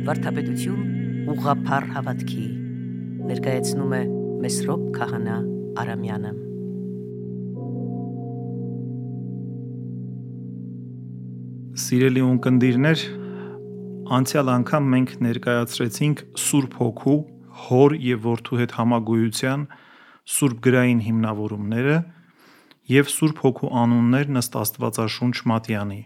Վարդապետություն ուղղափառ հավատքի ներկայացնում է Մեսրոպ Քահանա Արամյանը։ Սիրելի ունկնդիրներ, անցյալ անգամ մենք ներկայացրեցինք Սուրբ Հոգու, Հոր և Որդու հետ համագոյության Սուրբ գրային հիմնավորումները և Սուրբ Հոգու անուններն ըստ Աստվածաշունչ Մատյանի։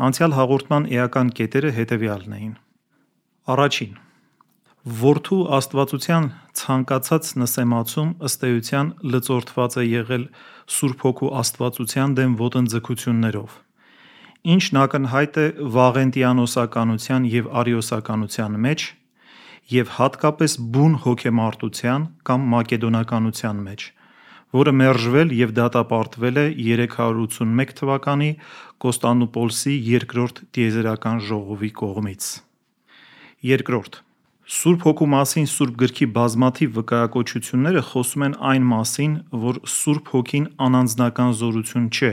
Անցյալ հաղորդման էական կետերը հետևյալն էին. Առաջին. Որդու աստվածության ցանկացած նսեմացում ըստ էության լծորդված է եղել Սուրբ Հոգու աստվածության դեմ ոտնձգություններով, ինչն ակնհայտ է վաղենտիանոսականության և արիոսականության մեջ և հատկապես բուն հոգեմարտության կամ մակեդոնականության մեջ, որը մերժվել և դատապարտվել է 381 թվականի Կոստանդնուպոլսի երկրորդ տիեզերական ժողովի կողմից։ Երկրորդ. Սուրբ Հոգու մասին Սուրբ գրքի բազմաթիվ վկայակոչությունները խոսում են այն մասին, որ Սուրբ Հոգին անանձնական զորություն չէ,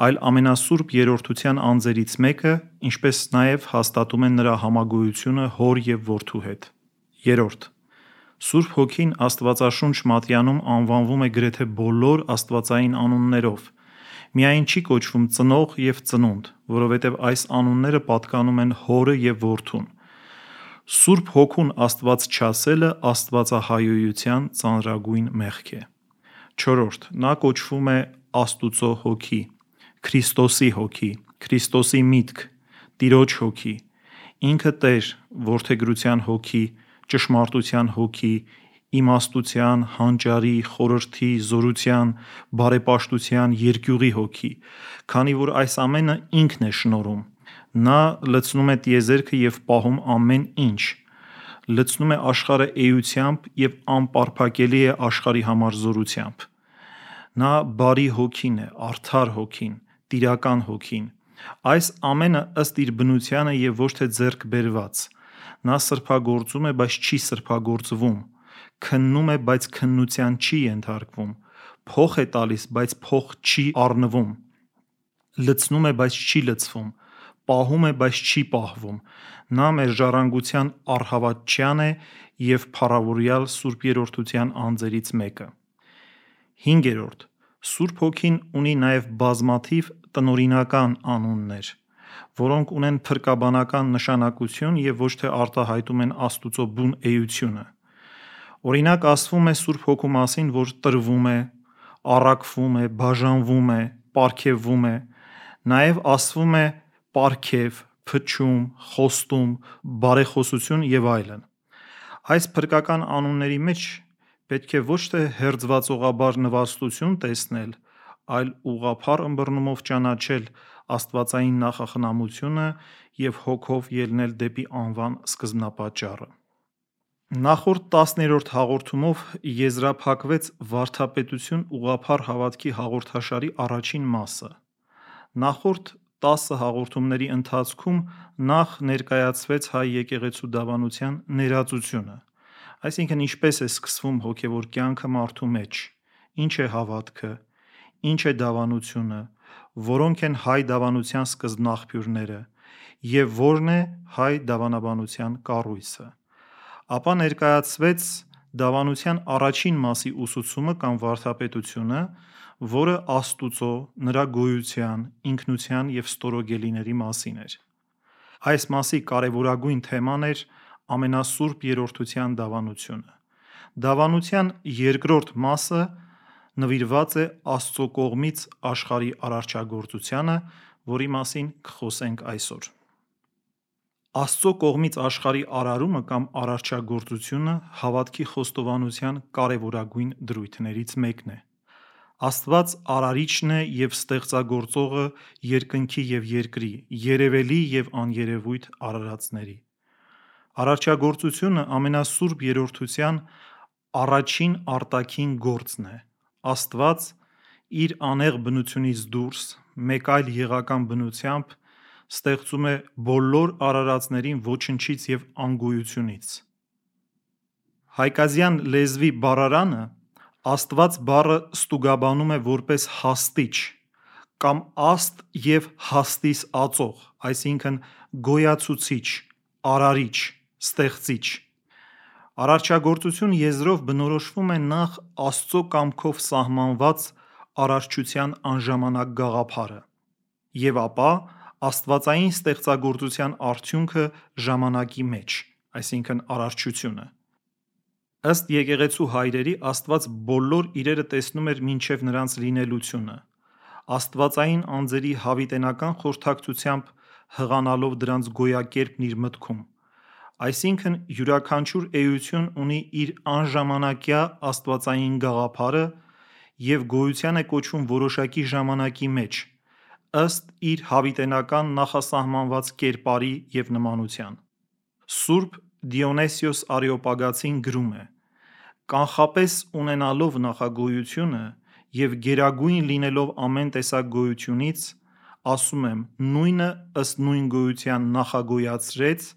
այլ ամենասուրբ երրորդության անձերից մեկը, ինչպես նաև հաստատում են նրա համագոյությունը Հոր և Որդու հետ։ Երրորդ. Սուրբ Հոգին Աստվածաշունչ Մատյանում անվանվում է գրեթե բոլոր աստվածային անուններով, միայն չի կոչվում Ծնող և Ծնունդ, որովհետև այս անունները պատկանում են Հորը և Որդուն։ Սուրբ Հոգուն Աստված չասելը աստվածահայոյության ծանրագույն մեղք է։ Չորրորդ. Նա կոչվում է Աստուծո Հոգի, Քրիստոսի Հոգի, Քրիստոսի միտք, Տիրոջ Հոգի, ինքը Տեր, որդեգրության Հոգի, ճշմարտության Հոգի, իմաստության, հանճարի, խորհրդի, զորության, բարեպաշտության, երկյուղի Հոգի, քանի որ այս ամենը ինքն է շնորհում։ Նա լցնում է տիեզերքը և պահում ամեն ինչ, լցնում է աշխարհը էությամբ և անպարփակելի է աշխարհի համար զորությամբ։ Նա բարի Հոգին է, արդար Հոգին, տիրական Հոգին։ Այս ամենը ըստ իր բնությանը և ոչ թե ձեռք բերված։ Նա սրբագործում է, բայց չի սրբագործվում, քննում է, բայց քննության չի ենթարկվում, փոխ է տալիս, բայց փոխ չի առնվում, լցնում է, բայց չի լցվում, պահում է, բայց չի պահվում։ Նա մեր ժառանգության առհավատչյան է և փառավորյալ Սուրբ Երրորդության անձերից մեկը։ Հինգերորդ. Սուրբ Հոգին ունի նաև բազմաթիվ տնօրինական անուններ, որոնք ունեն փրկաբանական նշանակություն և ոչ թե արտահայտում են Աստուծո բուն էությունը։ Օրինակ, ասվում է Սուրբ Հոգու մասին, որ տրվում է, առաքվում է, բաժանվում է, պարգևվում է, նաև ասվում է պարգև, փչում, խոստում, բարեխոսություն և այլն։ Այս փրկական անունների մեջ պետք է ոչ թե հերձվածողաբար նվաստություն տեսնել, այլ ուղղափառ ըմբռնումով ճանաչել աստվածային նախախնամությունը և հոգով ելնել դեպի անվան սկզբնապատճառը։ Նախորդ 10-րդ հաղորդումով եզրափակվեց Վարդապետություն ուղղափառ հավատքի հաղորդաշարի առաջին մասը։ Նախորդ 10 հաղորդումների ընթացքում նախ ներկայացվեց հայ եկեղեցու դավանության ներածությունը, այսինքն ինչպես է սկսվում հոգևոր կյանքը մարդու մեջ, ինչ է հավատքը, ինչ է դավանությունը, որոնք են հայ դավանության սկզբնաղբյուրները և որն է հայ դավանաբանության կառույցը։ Ապա ներկայացվեց դավանության առաջին մասի ուսուցումը կամ վարդապետությունը, որը Աստուծո, նրա գոյության, ինքնության և ստորոգելիների մասին էր։ Այս մասի կարևորագույն թեման էր ամենասուրբ երրորդության դավանությունը։ Դավանության երկրորդ մասը նվիրված է Աստծո կողմից աշխարհի արարչագործությանը, որի մասին կխոսենք այսօր։ Աստծո կողմից աշխարհի արարումը կամ արարչագործությունը հավատքի խոստովանության կարևորագույն դրույթներից մեկն է։ Աստված Արարիչն է և ստեղծագործողը երկնքի և երկրի, երևելի և աներևույթ արարածների։ Արարչագործությունը ամենասուրբ երրորդության առաջին արտաքին գործն է։ Աստված իր անեղծ բնությունից դուրս մեկ այլ եղական բնությամբ ստեղծում է բոլոր արարածներին ոչնչից և անգոյությունից։ Հայկազյան լեզվի բառարանը Աստված բառը ստուգաբանում է որպես հաստիչ կամ աստ և հաստիս ածող, այսինքն գոյացուցիչ, արարիչ, ստեղծիչ։ Արարչագործություն եզրով բնորոշվում է նախ Աստծո կամքով սահմանված արարչության անժամանակ գաղափարը, եւ ապա աստվածային ստեղծագործության արդյունքը ժամանակի մեջ, այսինքն արարչությունը։ Ըստ եկեղեցու հայրերի, Աստված բոլոր իրերը տեսնում էր մինչև նրանց լինելությունը, աստվածային անձերի հավիտենական խորհրդակցությամբ հղանալով դրանց գոյակերպն իր մտքում, այսինքն յուրաքանչյուր էություն ունի իր անժամանակյա աստվածային գաղափարը և գոյության է կոչվում որոշակի ժամանակի մեջ, ըստ իր հավիտենական նախասահմանված կերպարի և նմանության։ Սուրբ Դիոնիսիոս Արեոպագացին գրում է. «Կանխապես ունենալով նախագոյությունը և գերագույն լինելով ամեն տեսակ գոյությունից, ասում եմ, նույնը ըստ նույն գոյության նախագոյացրեց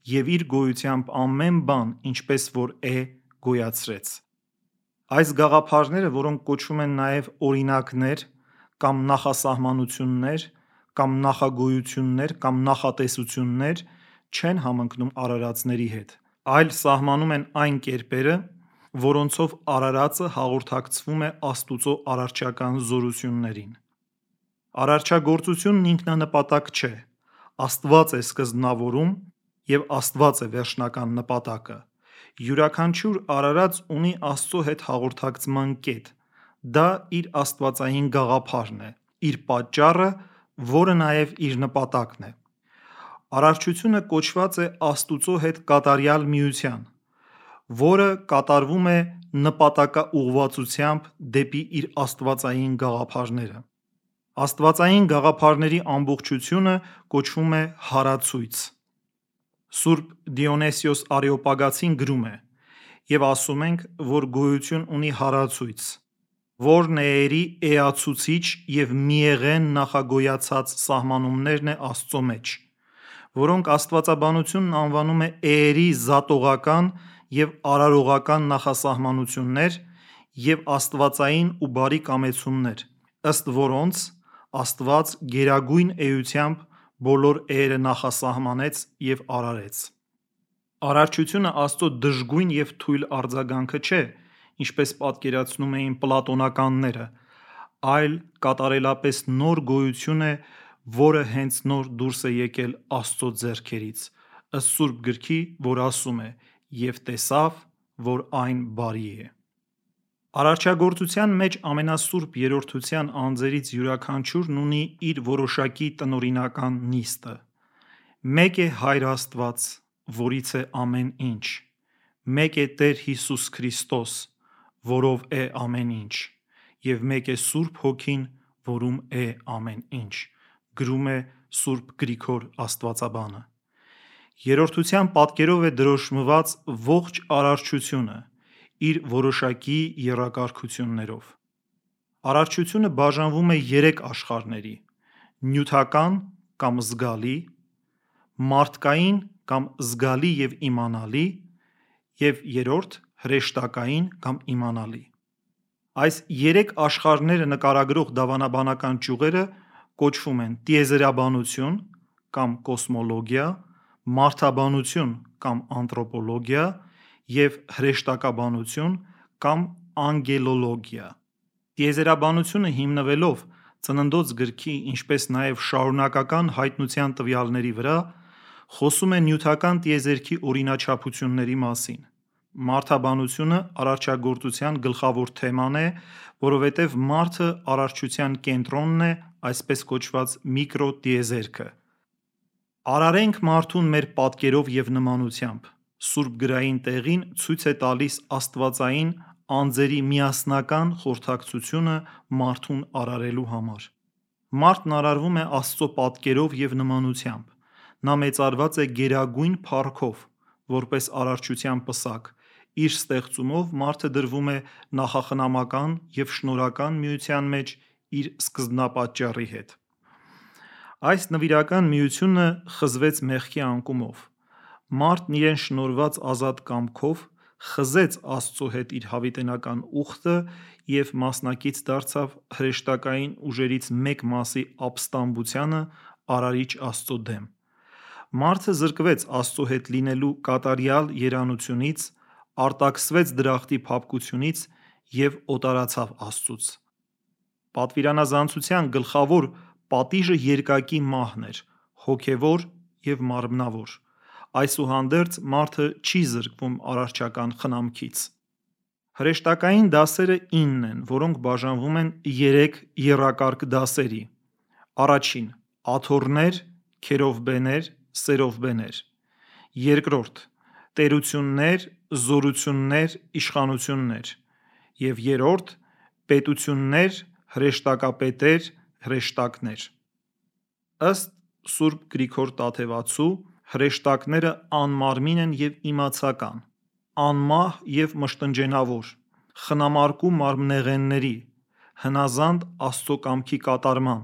և իր գոյությամբ ամեն բան, ինչպես որ է, գոյացրեց»։ Այս գաղափարները, որոնք կոչվում են նաև օրինակներ կամ նախասահմանություններ կամ նախագոյություններ կամ նախատեսություններ, չեն համընկնում արարածների հետ, այլ սահմանում են այն կերպերը, որոնցով արարածը հաղորդակցվում է Աստծո արարչական զորություններին։ Արարչագործությունն ինքնանպատակ չէ, Աստված է սկզբնավորում և Աստված է վերջնական նպատակը։ Յուրաքանչյուր արարած ունի Աստծո հետ հաղորդակցման կետ, դա իր աստվածային գաղափարն է, իր պատճառը, որը նաև իր նպատակն է։ Արարչությունը կոչված է Աստծո հետ կատարյալ միության, որը կատարվում է նպատակաուղղվածությամբ դեպի իր աստվածային գաղափարները։ Աստվածային գաղափարների ամբողջությունը կոչվում է հարացույց։ Սուրբ Դիոնիսիոս Արեոպագացին գրում է. «Եվ ասում ենք, որ գոյություն ունի հարացույց, որն էերի էացուցիչ և միեղեն նախագոյացած սահմանումներն է Աստծո մեջ, որոնք աստվածաբանությունն անվանում է էերի զատողական և արարողական նախասահմանություններ և աստվածային ու բարի կամեցումներ, ըստ որոնց Աստված գերագույն էությամբ բոլոր էերը նախասահմանեց և արարեց»։ Արարչությունը Աստծո դժգույն և թույլ արձագանքը չէ, ինչպես պատկերացնում էին պլատոնականները, այլ կատարելապես նոր գոյություն է, որը հենց նոր դուրս է եկել Աստծո ձեռքերից, ըստ Սուրբ Գրքի, որ ասում է. «Եվ տեսավ, որ այն բարի է»։ Արարչագործության մեջ ամենասուրբ Երրորդության անձերից յուրաքանչյուրն ունի իր որոշակի տնօրինական նիստը։ Մեկ է Հայր Աստված, որից է ամեն ինչ, մեկ է Տեր Հիսուս Քրիստոս, որով է ամեն ինչ, և մեկ է Սուրբ Հոգին, որում է ամեն ինչ, գրում է Սուրբ Գրիգոր Աստվածաբանը։ Երրորդության պատկերով է դրոշմված ողջ արարչությունը՝ իր որոշակի եռակարգություններով։ Արարչությունը բաժանվում է երեք աշխարհների՝ նյութական կամ զգալի, մարդկային կամ զգալի և իմանալի, և հրեշտակային կամ իմանալի։ Այս երեք աշխարհները նկարագրող դավանաբանական ճյուղերը կոչվում են տիեզերաբանություն կամ կոսմոլոգիա, մարդաբանություն կամ անթրոպոլոգիա և հրեշտակաբանություն կամ անգելոլոգիա։ Տիեզերաբանությունը հիմնվելով Ծննդոց գրքի, ինչպես նաև շարունակական հայտնության տվյալների վրա, խոսում է նյութական տիեզերքի օրինաչափությունների մասին։ Մարդաբանությունը արարչագործության գլխավոր թեման է, որովհետև մարդը արարչության կենտրոնն է, այսպես կոչված միկրոտիեզերքը։ «Արարենք մարդուն մեր պատկերով և նմանությամբ» սուրբգրային տեղին ցույց է տալիս աստվածային անձերի միասնական խորհրդակցությունը մարդուն արարելու համար։ Մարդն արարվում է Աստծո պատկերով և նմանությամբ։ Նա մեծարված է գերագույն փառքով, որպես արարչության պսակ։ Իր ստեղծումով մարդը դրվում է նախախնամական և շնորհական միության մեջ իր սկզբնապատճառի հետ։ Այս նվիրական միությունը խզվեց մեղքի անկումով։ Մարդն իրեն շնորհված ազատ կամքով խզեց Աստծո հետ իր հավիտենական ուխտը և մասնակից դարձավ հրեշտակային ուժերից մեկ մասի ապստամբությանը Արարիչ Աստծո դեմ։ Մարդը զրկվեց Աստծո հետ լինելու կատարյալ երանությունից, արտաքսվեց դրախտի փափկությունից և օտարացավ Աստծուց։ Պատվիրանազանցության գլխավոր պատիժը երկակի մահն էր, հոգևոր և մարմնավոր։ Այսուհանդերձ մարդը չի զրկվում արարչական խնամքից։ Հրեշտակային դասերը 9 են, որոնք բաժանվում են 3 եռակարգ դասերի. Առաջին՝ աթոռներ, քերովբեներ, սերովբեներ։ Երկրորդ՝ տերություններ, զորություններ, իշխանություններ։ Եվ երրորդ՝ պետություններ, հրեշտակապետեր, հրեշտակներ։ Ըստ Սուրբ Գրիգոր Տաթևացու, հրեշտակները անմարմին են և իմացական, անմահ և մշտնջենավոր, խնամարկու մարմնեղենների, հնազանդ Աստծո կամքի կատարման,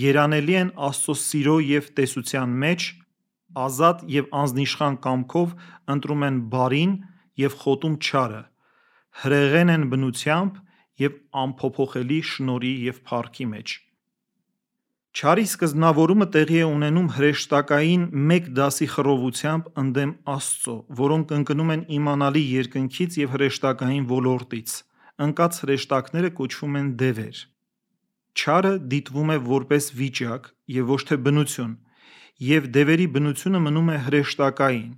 երանելի են Աստծո սիրո և տեսության մեջ, ազատ և անձնիշխան կամքով ընտրում են բարին և խոտում չարը, հրեղեն են բնությամբ և անփոփոխելի շնորհի և փառքի մեջ։ Չարի սկզբնավորումը տեղի է ունենում հրեշտակային մեկ դասի խռովությամբ ընդդեմ Աստծո, որոնք ընկնում են իմանալի երկնքից և հրեշտակային ոլորտից, ընկած հրեշտակները կոչվում են դևեր։ Չարը դիտվում է որպես վիճակ և ոչ թե բնություն, և դևերի բնությունը մնում է հրեշտակային։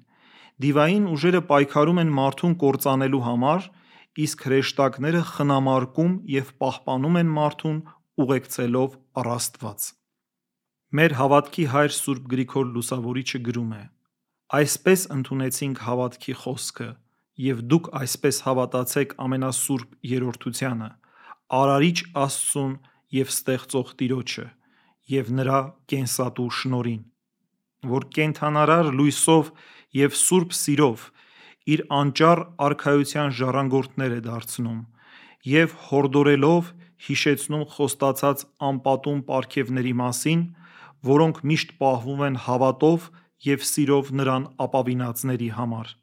Դիվային ուժերը պայքարում են մարդուն կործանելու համար, իսկ հրեշտակները խնամարկում և պահպանում են մարդուն ուղեկցելով առ Աստված։ Մեր հավատքի հայր Սուրբ Գրիգոր Լուսավորիչը գրում է. «Այսպես ընդունեցինք հավատքի խոսքը, և դուք այսպես հավատացեք ամենասուրբ երրորդությանը, Արարիչ Աստծուն և ստեղծող Տիրոջը, և նրա կենսատու շնորհին, որ կենդանարար լույսով և սուրբ սիրով իր անճառ արքայության ժառանգորդներ է դարձնում և հորդորելով հիշեցնում խոստացած անպատում պարգևների մասին, որոնք միշտ պահվում են հավատով և սիրով նրան ապավինածների համար։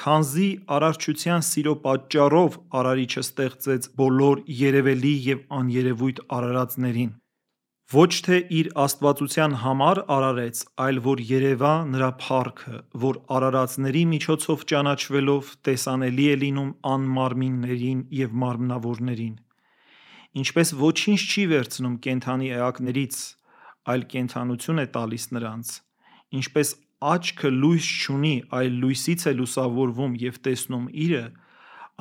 Քանզի արարչության սիրո պատճառով Արարիչը ստեղծեց բոլոր երևելի և աներևույթ արարածներին, ոչ թե իր աստվածության համար արարեց, այլ որ երևա նրա փառքը, որ արարածների միջոցով ճանաչվելով տեսանելի է լինում անմարմիններին և մարմնավորներին։ Ինչպես ոչինչ չի վերցնում կենդանի էակներից, այլ կենդանություն է տալիս նրանց, ինչպես աչքը լույս չունի, այլ լույսից է լուսավորվում և տեսնում իրը,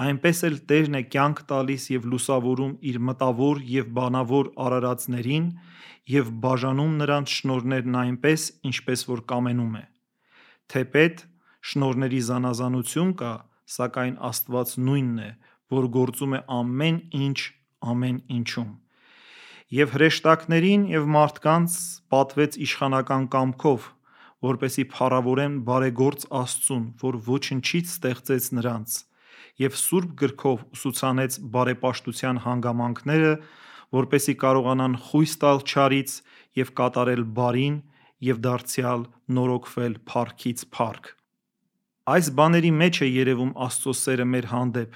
այնպես էլ Տերն է կյանք տալիս և լուսավորում իր մտավոր և բանավոր արարածներին և բաժանում նրանց շնորհներն այնպես, ինչպես որ կամենում է։ Թեպետ շնորհների զանազանություն կա, սակայն Աստված նույնն է, որ գործում է ամեն ինչ ամեն ինչում։ Եվ հրեշտակներին և մարդկանց պատվեց իշխանական կամքով, որպեսզի փառավորեն բարեգործ Աստծուն, որ ոչնչից ստեղծեց նրանց, և Սուրբ Գրքով ուսուցանեց բարեպաշտության հանգամանքները, որպեսզի կարողանան խույս տալ չարից և կատարել բարին և դարձյալ նորոգվել փառքից փառք։ Այս բաների մեջ է երևում Աստծո սերը մեր հանդեպ,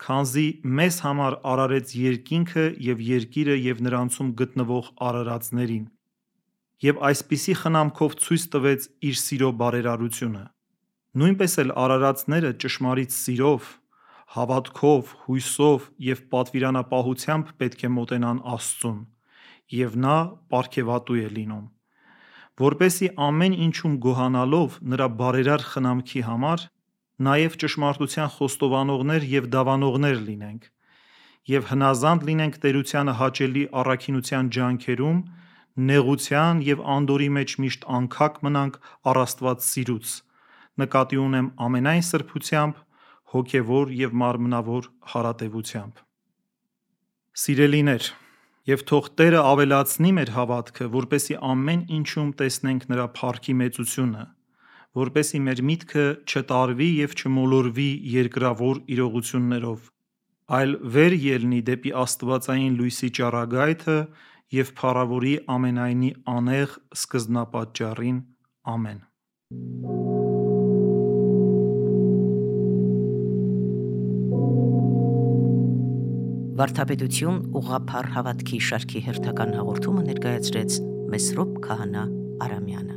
քանզի մեզ համար արարեց երկինքը և երկիրը և նրանցում գտնվող արարածներին, և այսպիսի խնամքով ցույց տվեց իր սիրո բարերարությունը։ Նույնպես էլ արարածները ճշմարիտ սիրով, հավատքով, հույսով և պատվիրանապահությամբ պետք է մոտենան Աստծուն, և Նա պարգևատու է լինում։ Որպեսզի ամեն ինչում գոհանալով նրա բարերար խնամքի համար, նաև ճշմարտության խոստովանողներ և դավանողներ լինենք, և հնազանդ լինենք տերությանը հաճելի առաքինության ջանքերում, նեղության և անդորրի մեջ միշտ անքակ մնանք առ Աստված սիրուց, նկատի ունեմ ամենայն սրբությամբ, հոգևոր և մարմնավոր հարատևությամբ։ Սիրելիներ, և թող Տերը ավելացնի մեր հավատքը, որպեսզի ամեն ինչում տեսնենք նրա փառքի մեծությունը, որպեսզի մեր միտքը չտարվի և չմոլորվի երկրավոր իրողություններով, այլ վեր ելնի դեպի աստվածային լույսի ճառագայթը և փառավորի ամենայնի անեղ սկզբնապատճառին։ Ամեն։ Վարդապետություն ուղղափառ հավատքի շարքի հերթական հաղորդումը ներկայացրեց Մեսրոպ Քահանա Արամյանը։